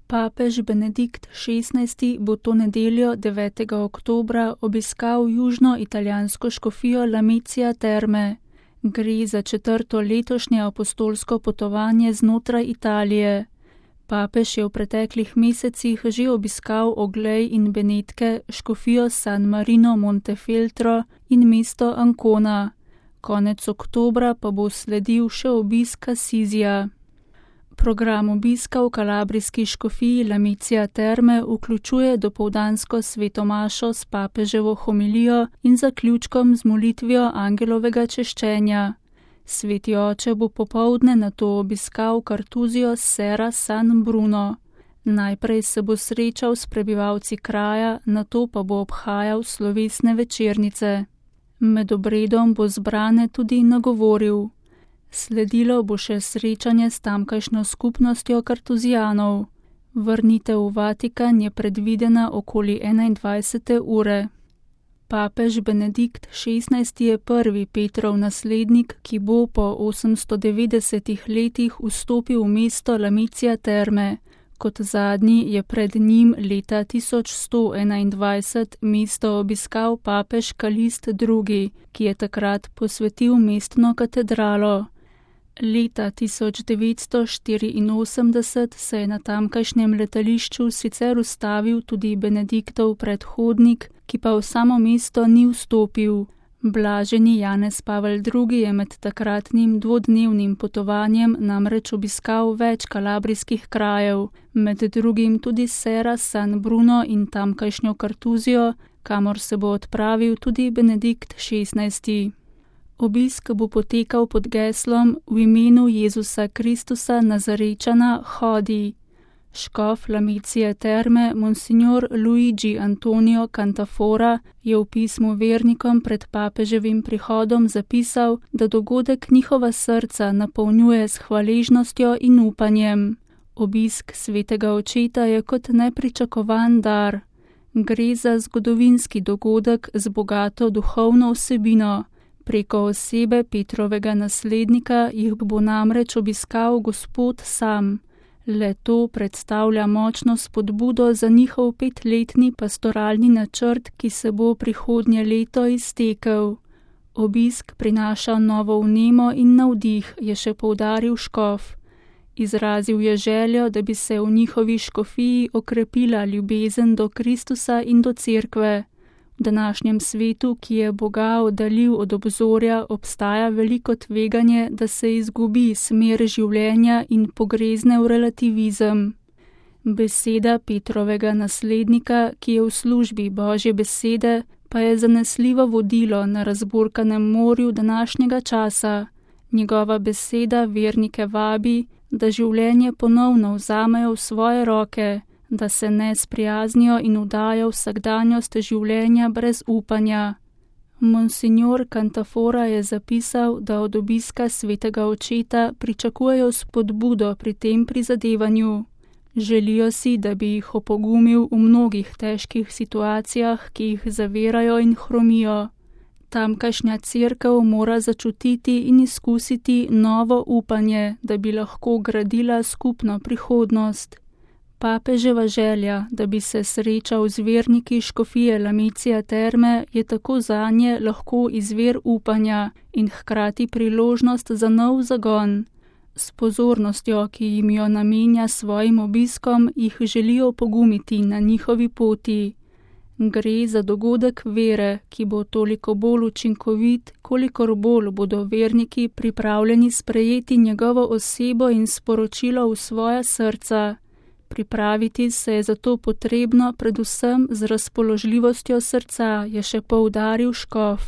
Papež Benedikt XVI bo to nedeljo 9. oktobra obiskal južno-italijansko škofijo Lamezia Terme. Gre za 4. letošnje apostolsko potovanje znotraj Italije. Papež je v preteklih mesecih že obiskal Oglej in Benetke, škofijo San Marino Montefeltro in mesto Ancona. Konec oktobra pa bo sledil še obisk Assizija. Program obiska v kalabrijski škofiji Lamezia Terme vključuje dopoldansko svetomašo s papeževo homilijo in zaključkom z molitvijo angelovega češčenja. Sveti oče bo popoldne nato obiskal Kartuzijo Serra San Bruno. Najprej se bo srečal s prebivalci kraja, nato pa bo obhajal slovesne večernice. Med obredom bo zbrane tudi nagovoril. Sledilo bo še srečanje s tamkajšnjo skupnostjo Kartuzijanov. Vrnitev v Vatikan je predvidena okoli 21. ure. Papež Benedikt XVI je prvi Petrov naslednik, ki bo po 890 letih vstopil v mesto Lamezia Terme. Kot zadnji je pred njim leta 1121 mesto obiskal papež Kalist II, ki je takrat posvetil mestno katedralo. Leta 1984 se je na tamkajšnjem letališču sicer ustavil tudi Benediktov predhodnik, ki pa v samo mesto ni vstopil. Blaženi Janez Pavel II je med takratnim dvodnevnim potovanjem namreč obiskal več kalabrijskih krajev, med drugim tudi Serra San Bruno in tamkajšnjo Kartuzijo, kamor se bo odpravil tudi Benedikt XVI. Obisk bo potekal pod geslom V imenu Jezusa Kristusa Nazarečana hodi. Škof Lamezia Terme Monsignor Luigi Antonio Cantafora je v pismu vernikom pred papeževim prihodom zapisal, da dogodek njihova srca napolnjuje s hvaležnostjo in upanjem. Obisk svetega očeta je kot nepričakovan dar. Gre za zgodovinski dogodek z bogato duhovno vsebino. Preko osebe Petrovega naslednika jih bo namreč obiskal Gospod sam. Le to predstavlja močno spodbudo za njihov 5-letni pastoralni načrt, ki se bo prihodnje leto iztekel. Obisk prinaša novo vnemo in navdih, je še poudaril škof. Izrazil je željo, da bi se v njihovi škofiji okrepila ljubezen do Kristusa in do cerkve. V današnjem svetu, ki je Boga oddaljil od obzorja, obstaja veliko tveganje, da se izgubi smer življenja in pogrezne v relativizem. Beseda Petrovega naslednika, ki je v službi Božje besede, pa je zanesljivo vodilo na razburkanem morju današnjega časa. Njegova beseda vernike vabi, da življenje ponovno vzamejo v svoje roke, da se ne sprijaznijo in vdajo vsakdanjost življenja brez upanja. Monsignor Cantafora je zapisal, da od obiska svetega očeta pričakujejo spodbudo pri tem prizadevanju. Želijo si, da bi jih opogumil v mnogih težkih situacijah, ki jih zavirajo in hromijo. Tamkajšnja cerkev mora začutiti in izkusiti novo upanje, da bi lahko gradila skupno prihodnost. Papeževa želja, da bi se srečal z verniki škofije Lamezia Terme, je tako zanje lahko izvir upanja in hkrati priložnost za nov zagon. S pozornostjo, ki jim jo namenja svojim obiskom, jih želijo pogumiti na njihovi poti. Gre za dogodek vere, ki bo toliko bolj učinkovit, kolikor bolj bodo verniki pripravljeni sprejeti njegovo osebo in sporočilo v svoja srca. Pripraviti se je zato potrebno predvsem z razpoložljivostjo srca, je še poudaril škof.